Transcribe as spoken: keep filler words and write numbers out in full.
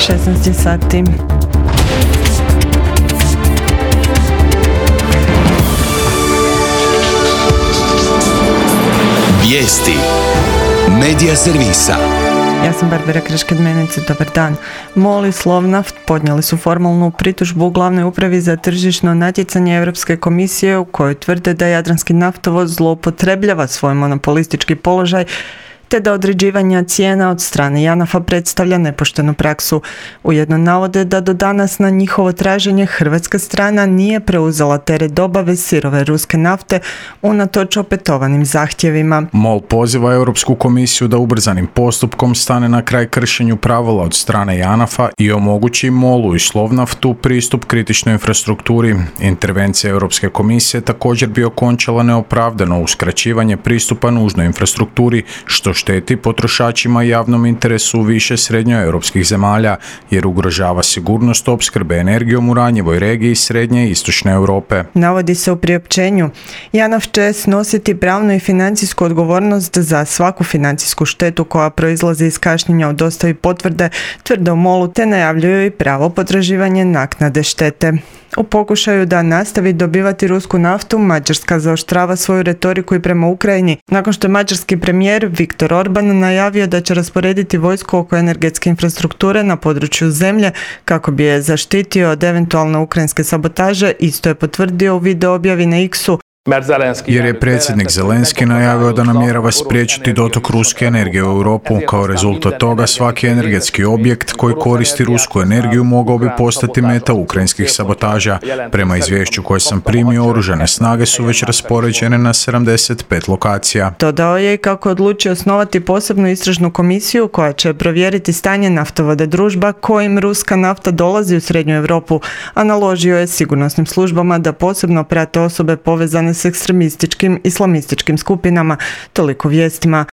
šesnaest sati. Vijesti Medija servisa. Ja sam Barbara Krešked-Menice, dobar dan. MOL i Slovnaft podnijeli su formalnu pritužbu u Glavnoj upravi za tržišno natjecanje Europske komisije u kojoj tvrde da Jadranski naftovod zloupotrebljava svoj monopolistički položaj te da određivanja cijena od strane JANAF-a predstavlja nepoštenu praksu. Ujedno navode da do danas na njihovo traženje hrvatska strana nije preuzela teret dobave sirove ruske nafte unatoč opetovanim zahtjevima. MOL poziva Europsku komisiju da ubrzanim postupkom stane na kraj kršenju pravila od strane JANAF-a i omogući MOL-u i Slovnaftu pristup kritičnoj infrastrukturi. Intervencija Europske komisije također bi okončala neopravdano uskraćivanje pristupa nužnoj infrastrukturi, što šteti potrošačima i javnom interesu više srednjoeuropskih zemalja, jer ugrožava sigurnost opskrbe energijom u ranjivoj regiji srednje i istočne Europe. Navodi se u priopćenju. JANAF će snositi pravnu i financijsku odgovornost za svaku financijsku štetu koja proizlazi iz kašnjenja u dostavi potvrde, tvrde u MOL-u, te najavljuju i pravo potraživanje naknade štete. U pokušaju da nastavi dobivati rusku naftu, Mađarska zaoštrava svoju retoriku i prema Ukrajini, nakon što je mađarski premijer Viktor Orban najavio da će rasporediti vojsku oko energetske infrastrukture na području zemlje kako bi je zaštitio od eventualne ukrajinske sabotaže, isto je potvrdio u video objavi na X-u. Jer je predsjednik Zelenski najavio da namjerava spriječiti dotok ruske energije u Europu. Kao rezultat toga svaki energetski objekt koji koristi rusku energiju mogao bi postati meta ukrajinskih sabotaža. Prema izvješću koje sam primio, oružane snage su već raspoređene na sedamdeset pet lokacija. Dodao je i kako odlučio osnovati posebnu istražnu komisiju koja će provjeriti stanje naftovode družba kojim ruska nafta dolazi u Srednju Europu, a naložio je sigurnosnim službama da posebno prate osobe povezane s ekstremističkim islamističkim skupinama. Toliko vijestima.